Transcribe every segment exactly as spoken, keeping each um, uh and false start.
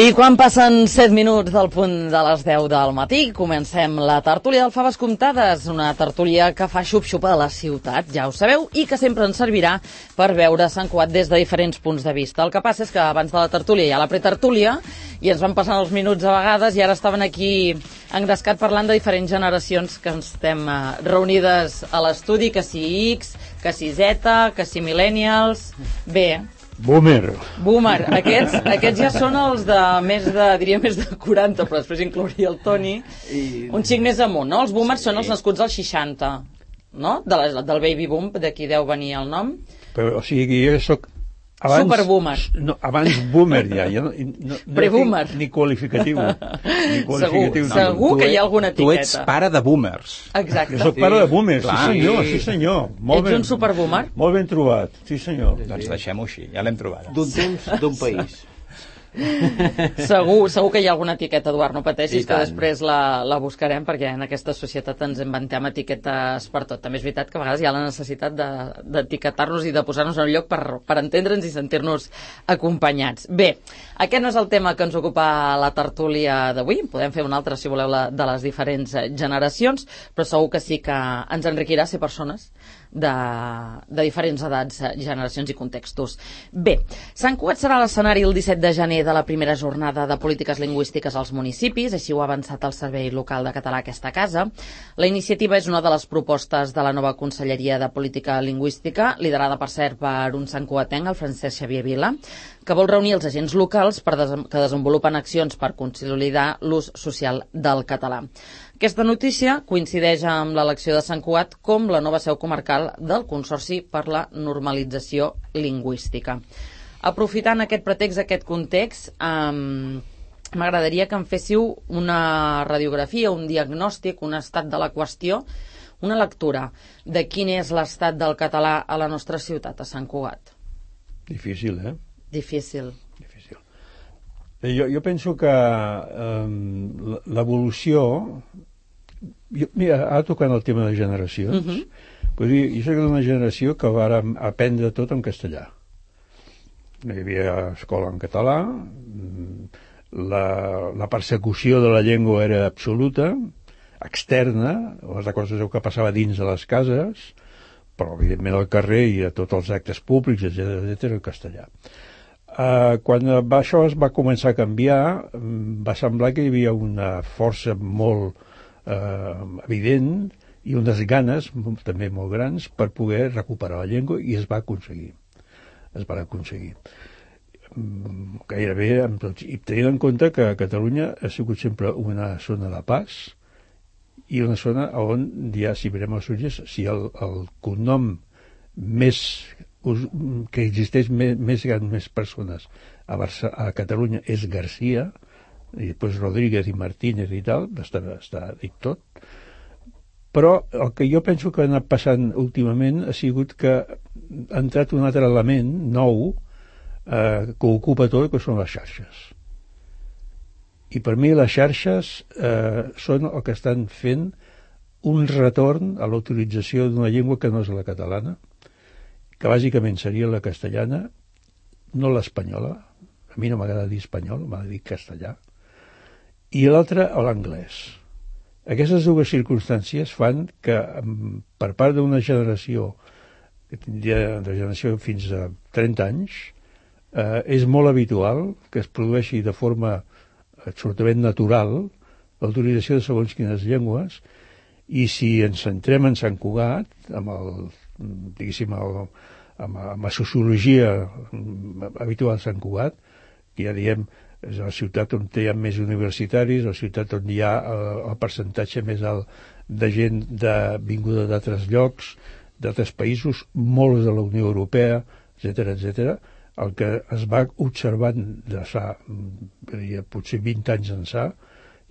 I quan passen set minuts del punt de les deu del matí, comencem la tertúlia del Faves Comptades, una tertúlia que fa xup-xup a la ciutat, ja ho sabeu, i que sempre ens servirà per veure Sant Cugat des de diferents punts de vista. El que passa és que abans de la tertúlia hi ha la pretertúlia, i ens van passant els minuts a vegades, i ara estaven aquí engrescat parlant de diferents generacions que ens estem uh, reunides a l'estudi, que si X, que si Z, que si Millennials... Bé... Boomer. Boomer. Aquests, aquests ja són els de més de, diria més de quaranta, però després inclouria el Toni. I... Un xic més amunt, no? Els boomers sí. Són els nascuts als seixanta, no? De la, del baby boom, d'aquí deu venir el nom. Però, o sigui, jo soc... Abans, Superboomer. No, abans boomer ja. ja no, no, no Pre-boomer. Ni qualificatiu. Ni qualificatiu. Segur, no, segur que hi ha alguna etiqueta. Tu ets pare de boomers. Exacte. Jo soc pare de boomers, sí, sí senyor, sí senyor. Molt ets ben, un superboomer? Molt ben trobat, sí senyor. Doncs deixem-ho així, ja l'hem trobat. D'un temps, d'un país. Segur, segur que hi ha alguna etiqueta, Eduard, no pateixis, que després la, la buscarem, perquè en aquesta societat ens inventem etiquetes per tot. També és veritat que a vegades hi ha la necessitat d'etiquetar-nos i de posar-nos en un lloc per, per entendre'ns i sentir-nos acompanyats. Bé, aquest no és el tema que ens ocupa la tertúlia d'avui, podem fer un altre, si voleu, la, de les diferents generacions, però segur que sí que ens enriquirà ser persones de, de diferents edats, generacions i contextos. Bé, Sant Cugat serà l'escenari el disset de gener de la primera jornada de polítiques lingüístiques als municipis, així ho ha avançat el Servei Local de Català a aquesta casa. La iniciativa és una de les propostes de la nova Conselleria de Política Lingüística, liderada per cert per un santcugatenc, el Francesc Xavier Vila, que vol reunir els agents locals per des que desenvolupen accions per consolidar l'ús social del català. Aquesta notícia coincideix amb l'elecció de Sant Cugat com la nova seu comarcal del Consorci per la Normalització Lingüística. Aprofitant aquest pretext, aquest context, um, m'agradaria que em féssiu una radiografia, un diagnòstic, un estat de la qüestió, una lectura de quin és l'estat del català a la nostra ciutat, a Sant Cugat. Difícil, eh? Difícil. Difícil. Jo, jo penso que um, l'evolució... Jo, mira, ara tocant el tema de generacions, uh-huh. Vull dir, jo soc d'una generació que va aprendre tot en castellà. No hi havia escola en català, la, la persecució de la llengua era absoluta, externa, les coses que passava dins de les cases, però evidentment al carrer i a tots els actes públics, etcètera, etcètera, el castellà. Uh, quan va, això es va començar a canviar, va semblar que hi havia una força molt uh, evident i unes ganes també molt grans per poder recuperar la llengua, i es va aconseguir. es van aconseguir. Gairebé amb tots. I tenint en compte que Catalunya ha sigut sempre una zona de pas i una zona on ja, si mirem els sugges, si el, el cognom més que existeix més, més grans més persones a, Barça, a Catalunya és Garcia, i després Rodríguez i Martínez i tal, està, està dit tot. Però el que jo penso que ha anat passant últimament ha sigut que ha entrat un altre element nou eh, que ocupa tot, que són les xarxes. I per mi les xarxes eh, són el que estan fent un retorn a la utilització d'una llengua que no és la catalana, que bàsicament seria la castellana, no l'espanyola, a mi no m'agrada dir espanyol, m'agrada dir castellà, i l'altra l'anglès. Aquestes dues circumstàncies fan que per part d'una generació que tindria de generació fins a trenta anys eh, és molt habitual que es produeixi de forma absolutament natural l'utilització de segons quines llengües, i si ens centrem en Sant Cugat amb el, diguéssim, el, amb, amb la sociologia habitual de Sant Cugat, que ja diem és la ciutat on hi ha més universitaris, la ciutat on hi ha el, el percentatge més alt de gent de, vinguda d'altres llocs, d'altres països, molts de la Unió Europea, etcètera, etcètera. El que es va observant de fa, potser vint anys ençà,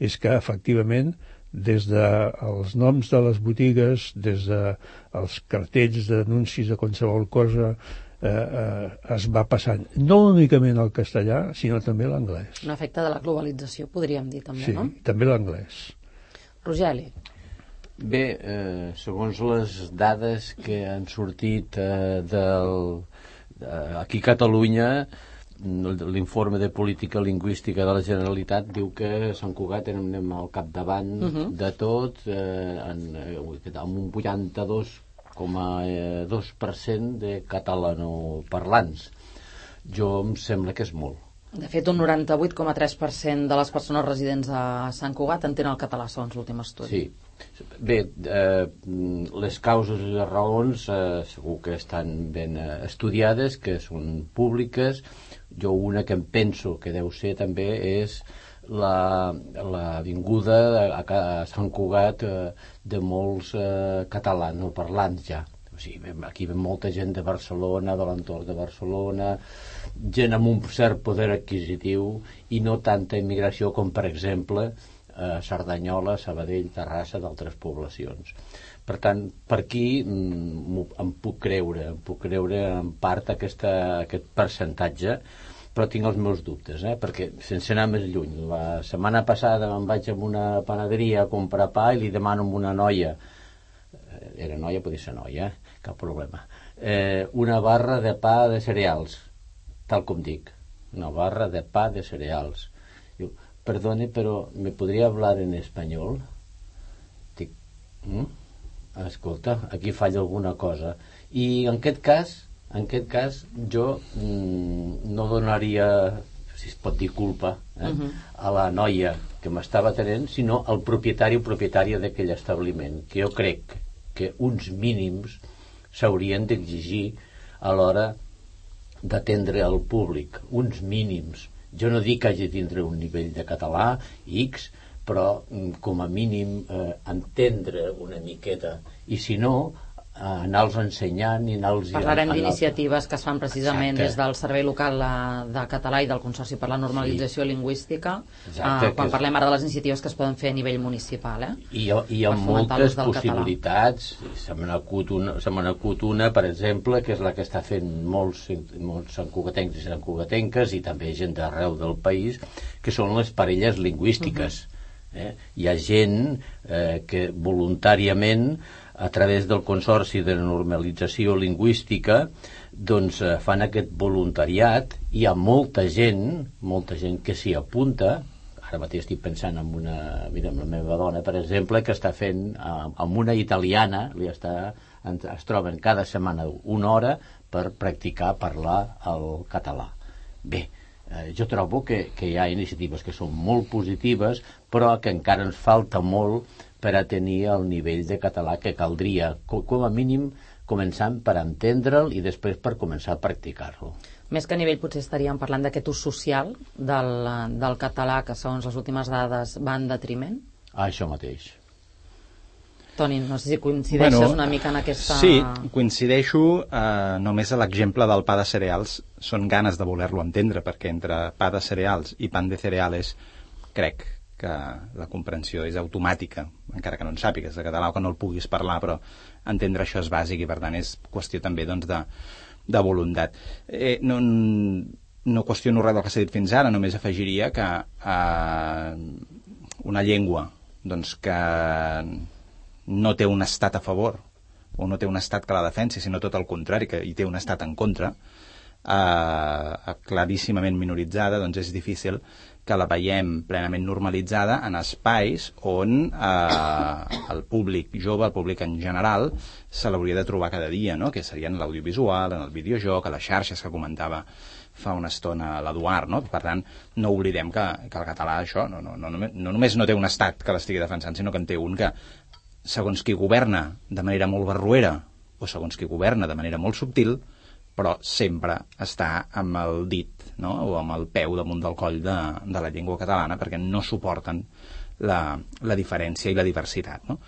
és que efectivament des dels de noms de les botigues, des dels de cartells d'anuncis de qualsevol cosa, Eh, eh, es va passant no únicament al castellà, sinó també a l'anglès. Un efecte de la globalització, podríem dir també, sí, no? Sí, també l'anglès. Rogeli. Bé, eh, segons les dades que han sortit eh, del, eh, aquí a Catalunya, l'informe de política lingüística de la Generalitat diu que Sant Cugat anem al capdavant uh -huh. de tot, eh, en, amb un vuitanta-dos coma dos per cent de catalanoparlants. Jo em sembla que és molt. De fet, un noranta-vuit coma tres per cent de les persones residents a Sant Cugat entenen el català, segons l'últim estudi. Sí. Bé, eh, les causes i les raons eh, segur que estan ben eh, estudiades, que són públiques. Jo una que em penso que deu ser també és la, la vinguda a, a Sant Cugat eh, de molts eh, catalanoparlants ja. O sigui, aquí ve molta gent de Barcelona, de l'entorn de Barcelona, gent amb un cert poder adquisitiu i no tanta immigració com, per exemple, a Cerdanyola, Sabadell, Terrassa, d'altres poblacions. Per tant, per aquí mm, em puc creure, em puc creure en part aquesta, aquest percentatge, però tinc els meus dubtes, eh? Perquè sense anar més lluny, la setmana passada me'n vaig a una panaderia a comprar pa i li demano a una noia, era noia, podia ser noia, eh? Cap problema, eh, una barra de pa de cereals, tal com dic, una barra de pa de cereals. Diu, perdone, pero ¿me podría hablar en español? Dic, mm? Escolta, aquí falla alguna cosa. I en aquest cas, en aquest cas, jo mm, no donaria, si es pot dir culpa, eh, uh-huh. a la noia que m'estava atenent, sinó al propietari o propietària d'aquell establiment, que jo crec que uns mínims s'haurien d'exigir a l'hora d'atendre al públic, uns mínims. Jo no dic que hagi de tindre un nivell de català X, però com a mínim eh, entendre una miqueta, i si no, eh, anar-los ensenyant i anar-los... Parlarem d'iniciatives que es fan precisament Exacte. Des del Servei Local de Català i del Consorci per la Normalització sí. Lingüística, Exacte, eh, quan és... parlem ara de les iniciatives que es poden fer a nivell municipal. Eh? I hi ha, hi ha moltes possibilitats. Se me n'acut una, se me n'acut una, per exemple, que és la que està fent molts, molts santcugatencs i santcugatenques i també gent d'arreu del país, que són les parelles lingüístiques. Uh-huh. Eh? Hi ha gent eh, que voluntàriament a través del Consorci de Normalització Lingüística doncs eh, fan aquest voluntariat. Hi ha molta gent molta gent que s'hi apunta. Ara mateix estic pensant en una, mira, en la meva dona, per exemple, que està fent eh, amb una italiana, li està, es troben cada setmana una hora per practicar parlar el català. Bé, Eh, jo trobo que, que hi ha iniciatives que són molt positives, però que encara ens falta molt per a tenir el nivell de català que caldria, com, com a mínim començant per entendre'l i després per començar a practicar-lo. Més que a nivell potser estaríem parlant d'aquest ús social del, del català que segons les últimes dades va en detriment? Ah, això mateix. Toni, no sé si coincideixes bueno, una mica en aquesta... Sí, coincideixo eh, només a l'exemple del pa de cereals. Són ganes de voler-lo entendre, perquè entre pa de cereals i pan de cereales crec que la comprensió és automàtica, encara que no en sàpigues de català o que no el puguis parlar, però entendre això és bàsic i per tant és qüestió també doncs, de, de voluntat. Eh, no, no qüestiono res del que s'ha dit fins ara, només afegiria que eh, una llengua doncs, que no té un estat a favor o no té un estat que la defensi, sinó tot el contrari, que hi té un estat en contra, eh, claríssimament minoritzada, doncs és difícil que la veiem plenament normalitzada en espais on eh, el públic jove, el públic en general, se l'hauria de trobar cada dia, no? Que serien l'audiovisual, en el videojoc, a les xarxes que comentava fa una estona l'Eduard, no? Per tant, no oblidem que, que el català, això, no, no, no, no només no té un estat que l'estigui defensant, sinó que en té un que segons qui governa de manera molt barroera o segons qui governa de manera molt subtil, però sempre està amb el dit, no? O amb el peu damunt del coll de, de la llengua catalana, perquè no suporten la, la diferència i la diversitat, no?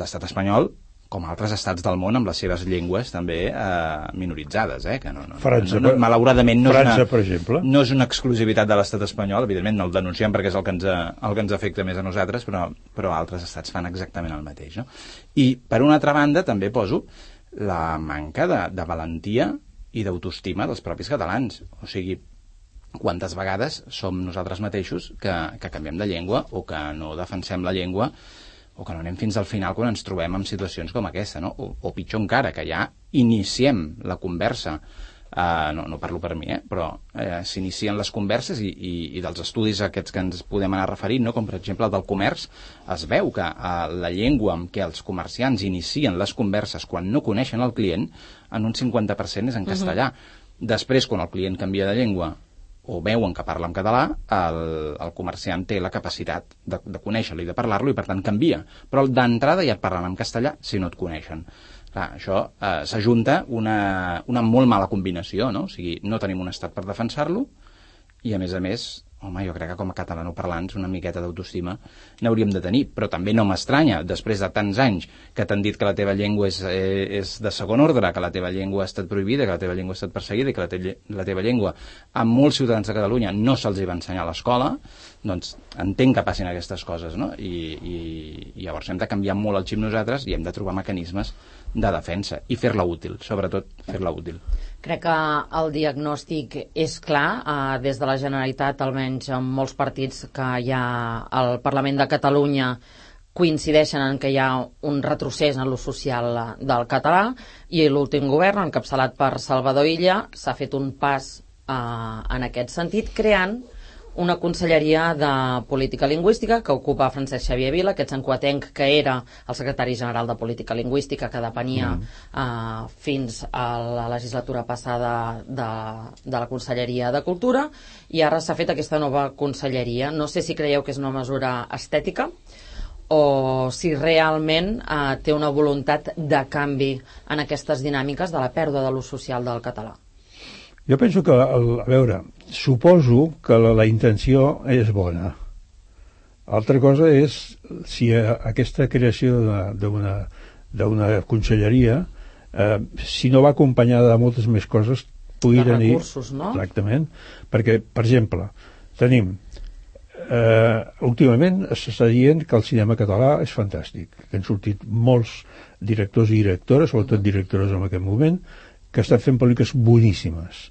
L'estat espanyol, com altres estats del món, amb les seves llengües també eh, minoritzades, eh? Que no, no, França, no, no, malauradament no, França, és una, per exemple. no és una exclusivitat de l'estat espanyol, evidentment no el denunciem perquè és el que ens, el que ens afecta més a nosaltres, però, però altres estats fan exactament el mateix, no? I per una altra banda també poso la manca de, de valentia i d'autoestima dels propis catalans. O sigui, quantes vegades som nosaltres mateixos que, que canviem de llengua o que no defensem la llengua o que no anem fins al final quan ens trobem en situacions com aquesta, no? O, o pitjor encara, que ja iniciem la conversa Uh, no, no parlo per mi, eh? però uh, s'inicien les converses i, i, i dels estudis aquests que ens podem anar referint, no? Com per exemple el del comerç, es veu que uh, la llengua amb què els comerciants inicien les converses quan no coneixen el client, en un cinquanta per cent és en castellà. Uh-huh. Després, quan el client canvia de llengua o veuen que parla en català, el, el comerciant té la capacitat de, de conèixer-lo i de parlar-lo i per tant canvia. Però d'entrada ja et parlen en castellà si no et coneixen. Clar, això eh, s'ajunta una, una molt mala combinació, no? O sigui, no tenim un estat per defensar-lo i, a més a més, home, jo crec que com a catalanoparlants una miqueta d'autoestima n'hauríem de tenir, però també no m'estranya, després de tants anys que t'han dit que la teva llengua és, eh, és de segon ordre, que la teva llengua ha estat prohibida, que la teva llengua ha estat perseguida i que la, te la teva llengua a molts ciutadans de Catalunya no se'ls hi va ensenyar a l'escola, doncs entenc que passin aquestes coses, no? I, i, i llavors hem de canviar molt el xip nosaltres i hem de trobar mecanismes de defensa i fer-la útil, sobretot fer-la útil. Crec que el diagnòstic és clar, eh, des de la Generalitat, almenys en molts partits que hi ha al Parlament de Catalunya coincideixen en que hi ha un retrocés en l'ús social del català i l'últim govern, encapçalat per Salvador Illa, s'ha fet un pas eh, en aquest sentit, creant una conselleria de política lingüística que ocupa Francesc Xavier Vila, aquest sancoatenc que era el secretari general de política lingüística, que depenia mm. eh, fins a la legislatura passada de, de la Conselleria de Cultura, i ara s'ha fet aquesta nova conselleria. No sé si creieu que és una mesura estètica o si realment eh, té una voluntat de canvi en aquestes dinàmiques de la pèrdua de l'ús social del català. Jo penso que, el, a veure, suposo que la, la intenció és bona. Altra cosa és si a, aquesta creació d'una d'una conselleria, eh, si no va acompanyada de moltes més coses, pugui tenir... recursos, no? Exactament. Perquè, per exemple, tenim... Eh, últimament s'està dient que el cinema català és fantàstic, que han sortit molts directors i directores, sobretot directores en aquest moment, que estan fent pel·lícules boníssimes.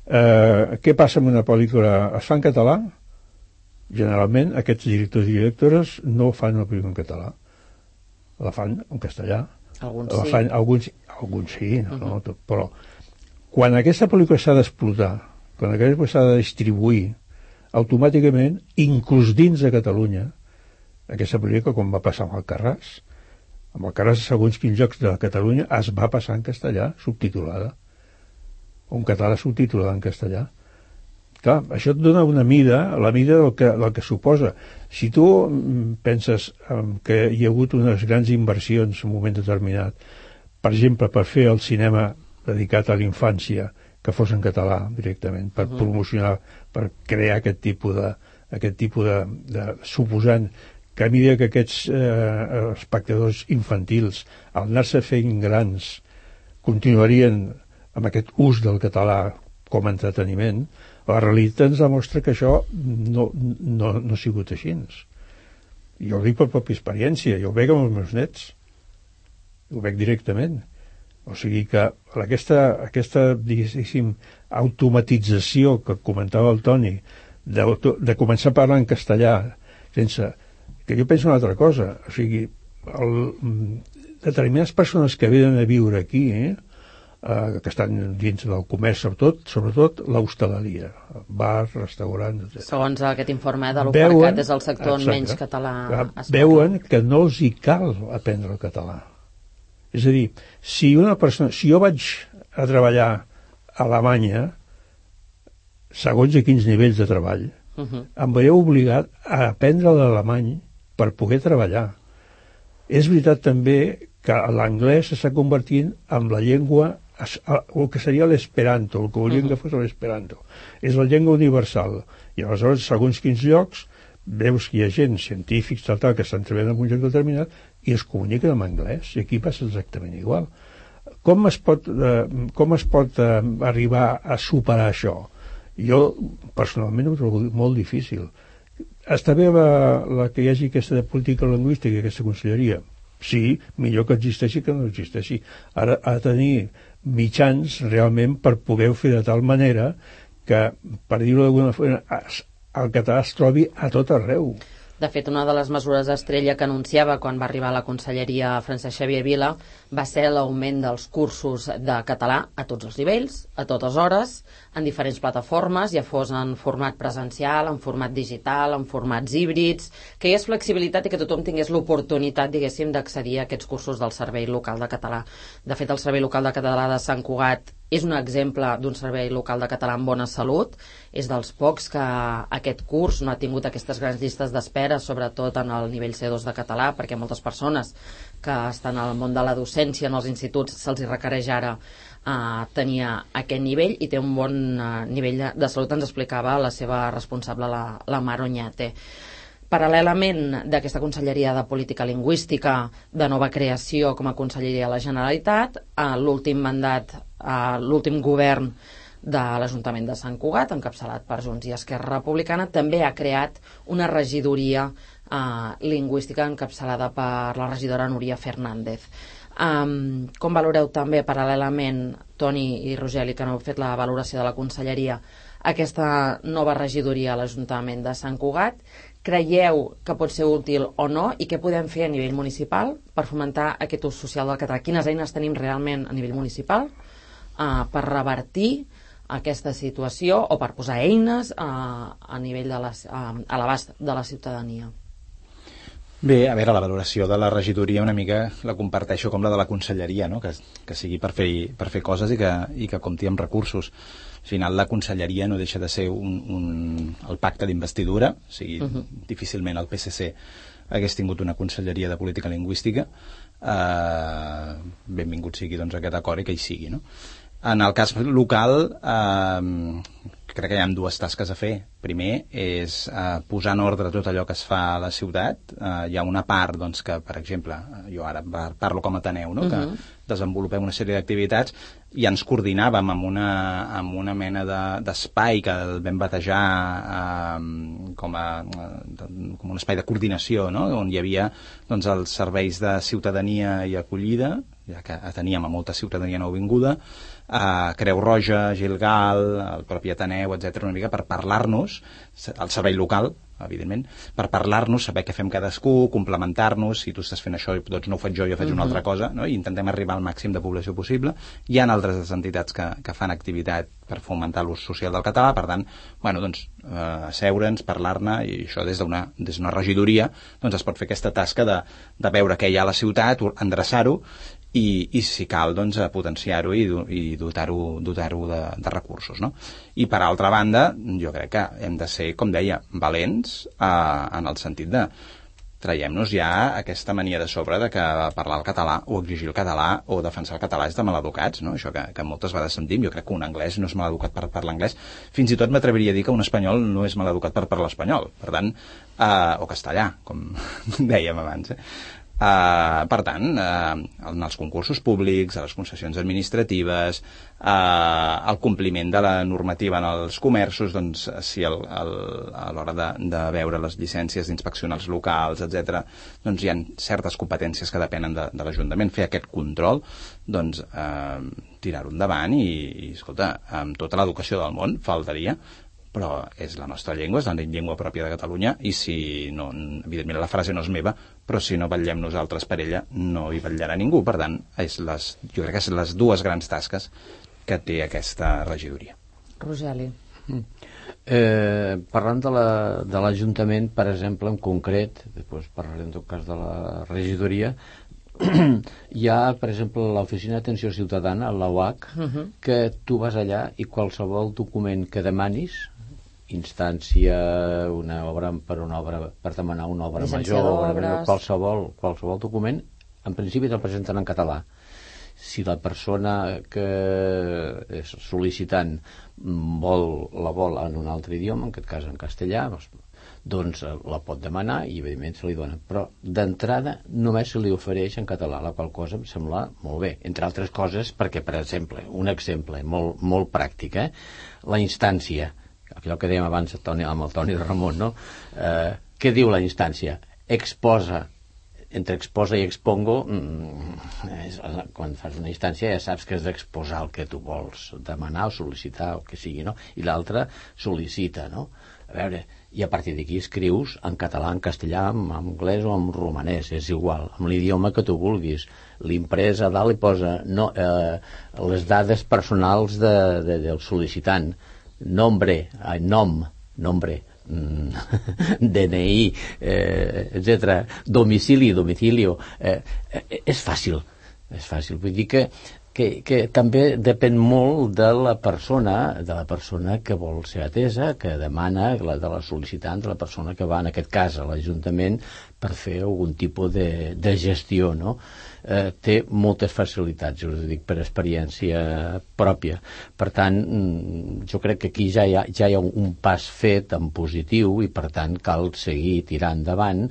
Eh, què passa amb una pel·lícula? Es fa en català? Generalment aquests directors i directores no fan una pel·lícula en català, la fan en castellà. Alguns la sí. Fan, alguns, alguns sí, no, uh-huh. no, però quan aquesta pel·lícula s'ha d'explotar, quan aquesta pel·lícula s'ha de distribuir, automàticament, inclús dins de Catalunya, aquesta pel·lícula, com va passar amb Alcarràs, amb Alcarràs, segons quins llocs de Catalunya, es va passar en castellà, subtitulada. Un català subtitulat en castellà. Clar, això et dona una mida, la mida del que, del que suposa. Si tu penses que hi ha hagut unes grans inversions en un moment determinat, per exemple, per fer el cinema dedicat a la infància, que fos en català directament, per uh-huh. promocionar, per crear aquest tipus de, aquest tipus de, de suposant que a mesura que aquests eh, espectadors infantils, al anar-se fent grans, continuarien amb aquest ús del català com a entreteniment, la realitat ens demostra que això no, no, no ha sigut així. Jo ho dic per pròpia experiència, jo ho veig amb els meus nets, ho veig directament. O sigui que aquesta, aquesta diguéssim, automatització que comentava el Toni, de, de començar a parlar en castellà, sense... que jo penso una altra cosa, o sigui, el, determinades persones que venen a viure aquí, eh, eh, que estan dins del comerç, sobretot, sobretot l'hostaleria, bars, restaurants, etcètera. Segons aquest informe de l'Opercat, és el sector on menys català es parla. Veuen que no els hi cal aprendre el català. És a dir, si una persona, si jo vaig a treballar a Alemanya, segons a quins nivells de treball, uh-huh. em veieu obligat a aprendre l'alemany per poder treballar. És veritat també que l'anglès s'està convertint en la llengua, el que seria l'esperanto, el que volíem uh-huh. que fos l'esperanto. És la llengua universal. I aleshores, segons quins llocs, veus que hi ha gent, científics, tal, tal, que estan treballant en un lloc determinat i es comuniquen en anglès, i aquí passa exactament igual. Com es pot, eh, com es pot eh, arribar a superar això? Jo, personalment, ho trobo molt difícil. Està bé la, la que hi hagi aquesta de política lingüística, aquesta conselleria? Sí, millor que existeixi que no existeixi. Ara ha de tenir mitjans realment per poder fer de tal manera que, per dir-ho d'alguna forma, el català es trobi a tot arreu. De fet, una de les mesures estrella que anunciava quan va arribar a la conselleria Francesc Xavier Vila va ser l'augment dels cursos de català a tots els nivells, a totes hores, en diferents plataformes, ja fos en format presencial, en format digital, en formats híbrids, que hi hagués flexibilitat i que tothom tingués l'oportunitat, diguéssim, d'accedir a aquests cursos del Servei Local de Català. De fet, el Servei Local de Català de Sant Cugat és un exemple d'un servei local de català amb bona salut. És dels pocs que aquest curs no ha tingut aquestes grans llistes d'espera, sobretot en el nivell C dos de català, perquè moltes persones que estan al món de la docència en els instituts se'ls requereix ara Uh, tenia aquest nivell i té un bon uh, nivell de, de salut, ens explicava la seva responsable, la, la Mar Oñate. Paral·lelament d'aquesta Conselleria de Política Lingüística de nova creació com a Conselleria de la Generalitat, uh, l'últim mandat, uh, l'últim govern de l'Ajuntament de Sant Cugat, encapçalat per Junts i Esquerra Republicana, també ha creat una regidoria uh, lingüística encapçalada per la regidora Núria Fernández. Um, com valoreu també paral·lelament, Toni i Rogeli, que no heu fet la valoració de la conselleria, aquesta nova regidoria a l'Ajuntament de Sant Cugat? Creieu que pot ser útil o no, i què podem fer a nivell municipal per fomentar aquest ús social del català? Quines eines tenim realment a nivell municipal uh, per revertir aquesta situació o per posar eines uh, a nivell de les, uh, a l'abast de la ciutadania? Bé, a veure, la valoració de la regidoria una mica la comparteixo com la de la conselleria, no? que, que sigui per fer, per fer coses i que, i que compti amb recursos. Al final la conselleria no deixa de ser un, un, el pacte d'investidura, o sigui, uh-huh. difícilment el P S C hagués tingut una conselleria de política lingüística. Eh, benvingut sigui doncs, aquest acord i que hi sigui. No? En el cas local, eh, crec que hi ha dues tasques a fer. Primer és eh, posar en ordre tot allò que es fa a la ciutat. Eh, hi ha una part doncs, que, per exemple, jo ara parlo com a Ateneu, no? Uh-huh. que desenvolupem una sèrie d'activitats i ens coordinàvem amb una, amb una mena de, d'espai que el vam batejar eh, com, a, com un espai de coordinació, no? On hi havia doncs, els serveis de ciutadania i acollida, ja que teníem a molta ciutadania nouvinguda, eh, Creu Roja, Gilgal, el propi Ateneu, etcètera, una mica per parlar-nos, el servei local, evidentment, per parlar-nos, saber què fem cadascú, complementar-nos, si tu estàs fent això, doncs no ho faig jo, jo faig uh-huh. una altra cosa, no? I intentem arribar al màxim de població possible. Hi ha altres entitats que, que fan activitat per fomentar l'ús social del català, per tant, bueno, doncs, eh, asseure'ns, parlar-ne, i això des d'una, des d'una regidoria, doncs es pot fer aquesta tasca de, de veure què hi ha a la ciutat, endreçar-ho, i, i si cal, doncs, potenciar-ho i, i dotar-ho, dotar-ho de, de recursos, no? I per altra banda, jo crec que hem de ser, com deia, valents eh, en el sentit de traiem-nos ja aquesta mania de sobre de que parlar el català o exigir el català o defensar el català és de maleducats, no? Això que, que moltes vegades sentim. Jo crec que un anglès no és maleducat per parlar anglès. Fins i tot m'atreviria a dir que un espanyol no és maleducat per parlar espanyol. Per tant, eh, o castellà, com dèiem abans, eh? Uh, per tant, uh, en els concursos públics, a les concessions administratives, uh, el compliment de la normativa en els comerços, doncs, si el, el, a l'hora de, de veure les llicències d'inspeccionar els locals, etcètera, doncs hi ha certes competències que depenen de, de l'Ajuntament. Fer aquest control, doncs, uh, tirar-ho endavant i, i, escolta, amb tota l'educació del món, faltaria, però és la nostra llengua, és la llengua pròpia de Catalunya, i si no, evidentment la frase no és meva, però si no vetllem nosaltres per ella, no hi vetllarà ningú. Per tant, és les, jo crec que són les dues grans tasques que té aquesta regidoria. Rogeli. Mm. Eh, parlant de, la, de l'Ajuntament, per exemple, en concret, després parlarem en tot cas de la regidoria, hi ha, per exemple, l'Oficina d'Atenció Ciutadana, la U A C, uh-huh. que tu vas allà i qualsevol document que demanis, instància, una obra per una obra, per demanar una obra major, obra major, qualsevol, qualsevol document, en principi te'l presenten en català. Si la persona que és sol·licitant vol, la vol en un altre idioma, en aquest cas en castellà, doncs la pot demanar i evidentment se li dona, però d'entrada només se li ofereix en català, la qual cosa em sembla molt bé, entre altres coses perquè, per exemple, un exemple molt, molt pràctic, eh? La instància, allò que dèiem abans Toni, amb el Toni Ramon, no? Eh, què diu la instància? Exposa, entre exposa i expongo, és, quan fas una instància ja saps que has d'exposar el que tu vols demanar o sol·licitar, o que sigui, no? I l'altre sol·licita, no? A veure, i a partir d'aquí escrius en català, en castellà, en anglès o en romanès, és igual, amb l'idioma que tu vulguis. L'imprès a dalt li posa no, eh, les dades personals de, de, del sol·licitant, nombre, eh, nom, nombre, D N I, eh, etcètera, domicili, domicilio, eh, eh, és fàcil, és fàcil, vull dir que Que, que també depèn molt de la persona de la persona que vol ser atesa, que demana, la, de la sol·licitant, de la persona que va, en aquest cas, a l'Ajuntament per fer algun tipus de, de gestió, no? Eh, té moltes facilitats, us ho dic per experiència pròpia. Per tant, jo crec que aquí ja hi ha, ja hi ha un pas fet en positiu i per tant cal seguir tirant endavant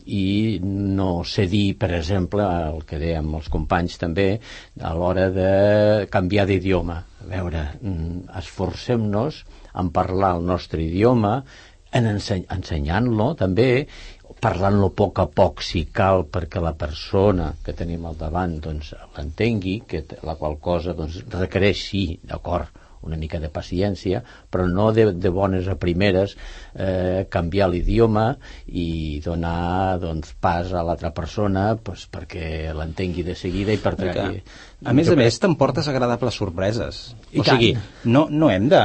i no cedir, per exemple, el que dèiem els companys també, a l'hora de canviar d'idioma. A veure, esforcem-nos en parlar el nostre idioma, en enseny- ensenyant-lo també, parlant-lo a poc a poc si cal perquè la persona que tenim al davant doncs, l'entengui, que la qual cosa doncs, requereix, sí, d'acord, una mica de paciència, però no de, de bones a primeres eh, canviar l'idioma i donar doncs, pas a l'altra persona pues, perquè l'entengui de seguida i per tant... A més a més, t'emportes agradables sorpreses. I o tant. sigui, no, no hem de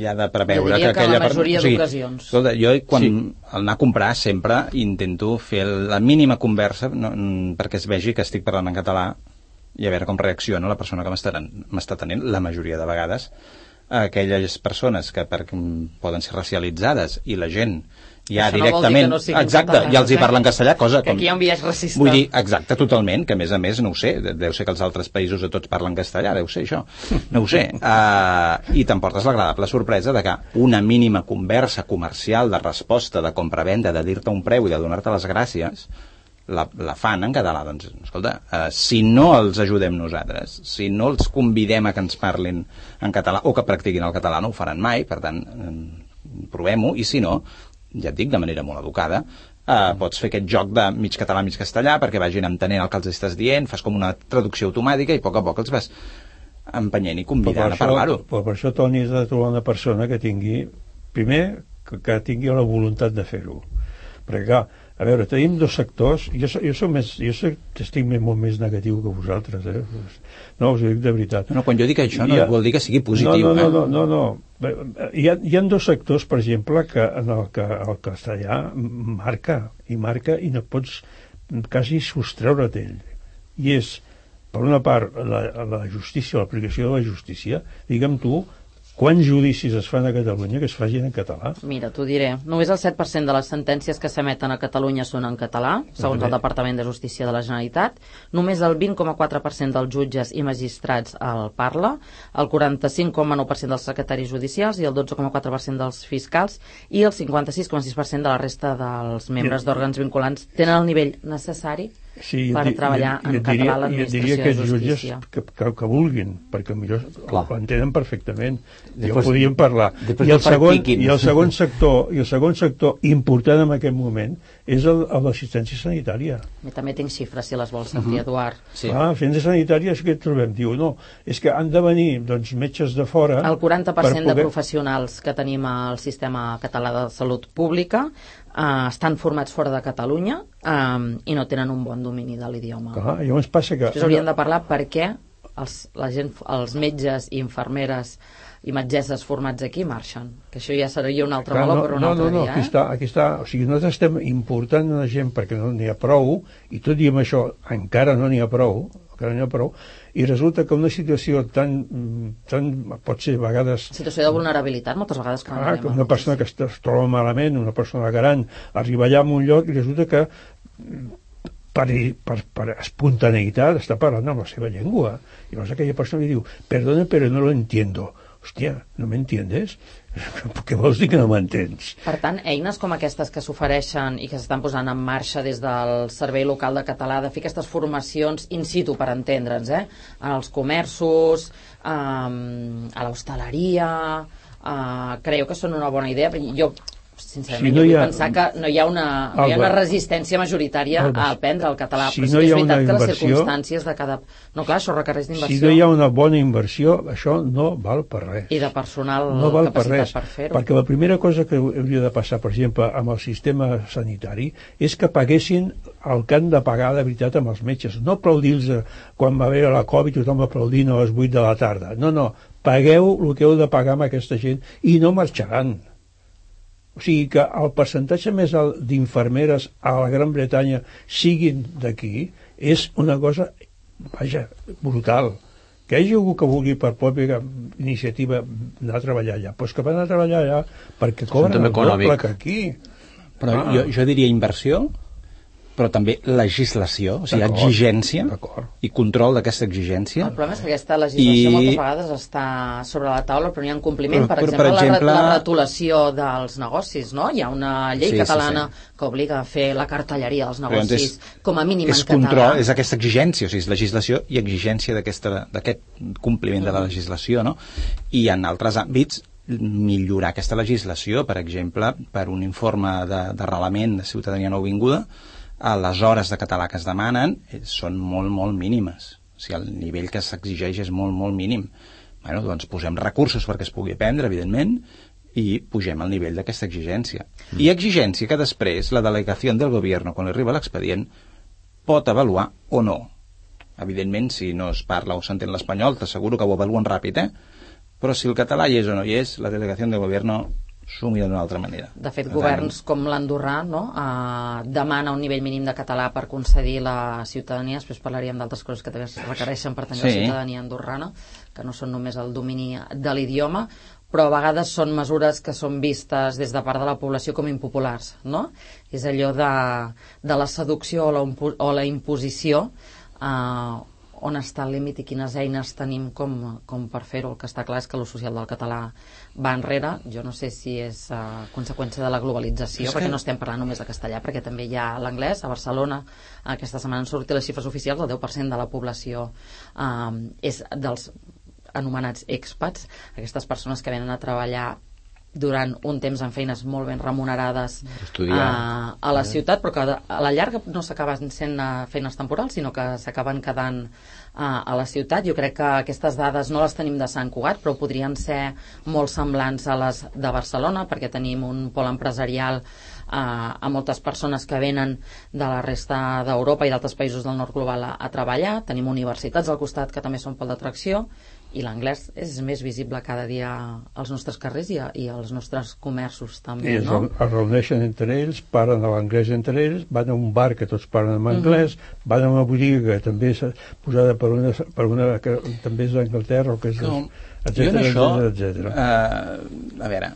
ja de preveure que, que aquella... la majoria o sigui, d'ocasions. Escolta, jo quan Sí. al anar a comprar sempre intento fer la mínima conversa no, perquè es vegi que estic parlant en català i a veure com reacciona la persona que m'està tenint, la majoria de vegades aquelles persones que per, poden ser racialitzades i la gent ja això directament, no no exacte, catalans, ja els hi eh? parlen castellà, cosa que com... aquí hi ha un biaix racista. Vull dir, exacte, totalment, que a més a més, no ho sé, deu ser que els altres països de tots parlen castellà, deu ser això, no ho sé. Uh, I t'emportes l'agradable sorpresa de que una mínima conversa comercial de resposta, de compra-venda, de dir-te un preu i de donar-te les gràcies, la, la fan en català. Doncs, escolta, uh, si no els ajudem nosaltres, si no els convidem a que ens parlin en català o que practiquin el català, no ho faran mai, per tant, um, provem-ho, i si no, ja et dic, de manera molt educada, eh, pots fer aquest joc de mig català, mig castellà, perquè vagin entenent el que els estàs dient, fas com una traducció automàtica i a poc a poc els vas empenyent i convidant a parlar-ho. Però per això, Toni, has de trobar una persona que tingui, primer, que, que tingui la voluntat de fer-ho. Perquè, clar, a veure, tenim dos sectors, jo, jo, soc més, jo soc, estic més, molt més negatiu que vosaltres, eh? No, us ho dic de veritat. No, no, quan jo dic això no ha, vol dir que sigui positiu. No, no, eh? no, no, no, no. Hi ha, hi ha dos sectors, per exemple, que en el que el castellà marca, i marca, i no pots quasi sostreure't ell. I és, per una part, la, la justícia, l'aplicació de la justícia. Digue'm tu, quants judicis es fan a Catalunya que es facin en català? Mira, t'ho diré. Només el set per cent de les sentències que s'emeten a Catalunya són en català, segons el Departament de Justícia de la Generalitat. Només el vint coma quatre per cent dels jutges i magistrats el parla, el quaranta-cinc coma nou per cent dels secretaris judicials i el dotze coma quatre per cent dels fiscals i el cinquanta-sis coma sis per cent de la resta dels membres d'òrgans vinculants tenen el nivell necessari sí, per di, treballar jo, en jo català diria, a l'administració diria que de justícia. Que, que, que vulguin, perquè millor Clar. ho entenen perfectament. Després, ja podíem parlar. I el, segon, I el segon sector, i el segon sector important en aquest moment és el, el l'assistència sanitària. Jo també tinc xifres, si les vols sentir, uh -huh. Eduard. Sí. Ah, assistència sanitària és que trobem. Diu, no, és que han de venir doncs, metges de fora... El quaranta per cent per poder... de professionals que tenim al sistema català de salut pública eh, estan formats fora de Catalunya eh, i no tenen un bon domini de l'idioma. Ah, llavors passa que... Després hauríem de parlar per què els, la gent, els metges i infermeres i metgesses formats aquí marxen, que això ja seria un altre meló no, per un no, altre no, no, dia. Aquí eh? està, aquí està, o sigui, nosaltres estem important la gent perquè no n'hi ha prou, i tot i amb això encara no n'hi ha prou, encara no n'hi ha prou, i resulta que una situació tan, tan pot ser a vegades... Situació de vulnerabilitat, moltes vegades. Quan ah, una persona que es, es troba malament, una persona gran, arriba allà a un lloc i resulta que per, per, per espontaneïtat està parlant amb la seva llengua. I llavors aquella persona li diu, perdona, però no lo entiendo. Hòstia, no m'entiendes? Què vols dir que no m'entens? Per tant, eines com aquestes que s'ofereixen i que s'estan posant en marxa des del Servei Local de Català, de fer aquestes formacions in situ, per entendre'ns, eh? En els comerços, eh, a l'hostaleria, eh, creieu que són una bona idea? Jo sincerament, si no jo vull ha... pensar que no hi ha una, no hi ha una resistència majoritària Alba. a aprendre el català, si però sí no que és veritat que les circumstàncies de cada... No, clar, això requereix d'inversió. Si no hi ha una bona inversió, això no val per res. I de personal no val capacitat per, res, per fer-ho. Perquè la primera cosa que hauria de passar, per exemple, amb el sistema sanitari, és que paguessin el que han de pagar de veritat amb els metges. No aplaudir-los quan va haver la Covid, tothom aplaudint a les vuit de la tarda. No, no, pagueu el que heu de pagar amb aquesta gent i no marxaran. O sigui que el percentatge més alt d'infermeres a la Gran Bretanya siguin d'aquí és una cosa, vaja, brutal. Que hi hagi algú que vulgui per pròpia iniciativa anar a treballar allà, doncs que van a treballar allà perquè cobren el doble que aquí. Però ah. jo, jo diria inversió, però també legislació, o sigui, exigència i control d'aquesta exigència. El problema és que aquesta legislació I... moltes vegades està sobre la taula, però n'hi ha un compliment. Per, per, exemple, per exemple, la, la retolació dels negocis, no? Hi ha una llei sí, catalana sí, sí. que obliga a fer la cartelleria dels negocis és, com a mínim en català. Control, és aquesta exigència, o sigui, és legislació i exigència d'aquest compliment de la legislació, no? I en altres àmbits millorar aquesta legislació, per exemple, per un informe d'arrelament de, de ciutadania nouvinguda, a les hores de català que es demanen són molt, molt mínimes. O sigui, el nivell que s'exigeix és molt, molt mínim. Bueno, doncs posem recursos perquè es pugui aprendre, evidentment, i pugem el nivell d'aquesta exigència. Mm. I exigència que després la delegació del govern, quan li arriba l'expedient, pot avaluar o no. Evidentment, si no es parla o s'entén l'espanyol, t'asseguro que ho avaluen ràpid, eh? Però si el català hi és o no hi és, la delegació del govern s'ho mira d'una altra manera. De fet, governs com l'andorrà no? eh, demana un nivell mínim de català per concedir la ciutadania. Després parlaríem d'altres coses que també es requereixen per tenir sí. la ciutadania andorrana, que no són només el domini de l'idioma, però a vegades són mesures que són vistes des de part de la població com impopulars, no? És allò de, de la seducció o la, o la imposició, eh, on està el límit i quines eines tenim com, com per fer-ho. El que està clar és que l'ús social del català va enrere. Jo no sé si és uh, conseqüència de la globalització, perquè que... no estem parlant només de castellà, perquè també hi ha l'anglès. A Barcelona aquesta setmana han sortit les xifres oficials, el deu per cent de la població uh, és dels anomenats expats, aquestes persones que venen a treballar durant un temps en feines molt ben remunerades a, a la ciutat, però que a la llarga no s'acaben sent feines temporals, sinó que s'acaben quedant a, a la ciutat. Jo crec que aquestes dades no les tenim de Sant Cugat, però podrien ser molt semblants a les de Barcelona, perquè tenim un pol empresarial a, a moltes persones que venen de la resta d'Europa i d'altres països del nord global a, a treballar. Tenim universitats al costat que també són pol d'atracció, i l'anglès és més visible cada dia als nostres carrers i, a, i als nostres comerços també, I no? es reuneixen entre ells, parlen a l'anglès entre ells, van a un bar que tots parlen en anglès, uh-huh. van a una botiga que també és posada per una, per una que també és d'Anglaterra o que és no, etcètera, això, etcètera. Uh, a veure,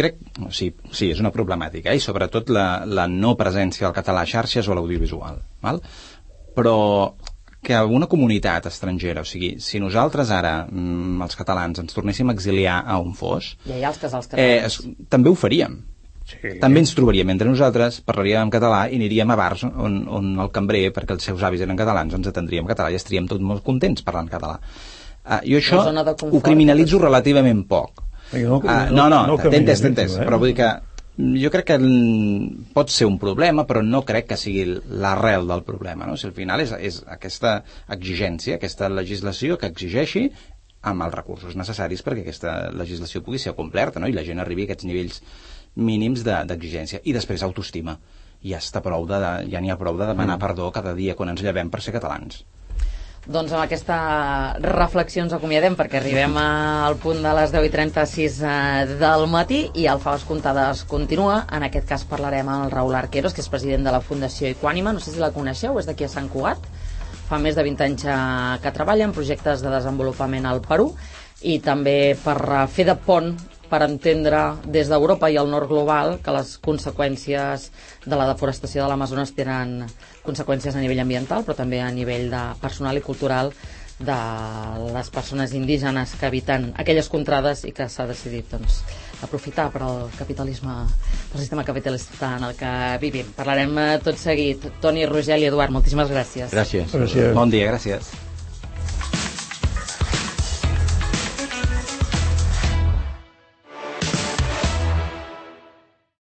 crec, sí, sí, és una problemàtica, eh? I sobretot la, la no presència del català a xarxes o a l'audiovisual, val? Però que una comunitat estrangera, o sigui, si nosaltres ara, mm, els catalans, ens tornéssim a exiliar a on fos, ja hi ha els casals catalans. Eh, es, també ho faríem. Sí. També ens trobaríem entre nosaltres, parlaríem en català i aniríem a bars on, on el cambrer, perquè els seus avis eren catalans, ens atendríem en català i estaríem tots molt contents parlant català. Uh, jo això ho criminalitzo relativament poc. No, uh, no, no, no t'he entès, t'he entès, eh? Però vull dir que jo crec que pot ser un problema, però no crec que sigui l'arrel del problema, no? Si al final és, és aquesta exigència, aquesta legislació que exigeixi amb els recursos necessaris perquè aquesta legislació pugui ser complerta, no? I la gent arribi a aquests nivells mínims d'exigència. I després autoestima. Ja està prou de, ja n'hi ha prou de demanar mm. perdó cada dia quan ens llevem per ser catalans. Doncs amb aquesta reflexió ens acomiadem, perquè arribem al punt de les deu i trenta-sis del matí i el Faves Comptades continua. En aquest cas parlarem amb el Raül Arqueros, que és president de la Fundació Equànima. No sé si la coneixeu, és d'aquí a Sant Cugat. Fa més de vint anys que treballa en projectes de desenvolupament al Perú i també per fer de pont per entendre des d'Europa i el nord global que les conseqüències de la deforestació de l'Amazones tenen conseqüències a nivell ambiental, però també a nivell de personal i cultural de les persones indígenes que habiten aquelles contrades i que s'ha decidit doncs, aprofitar per al capitalisme, pel sistema capitalista en el que vivim. Parlarem tot seguit. Toni, Rogel i Eduard, moltíssimes gràcies. Gràcies. gràcies. Bon dia, gràcies.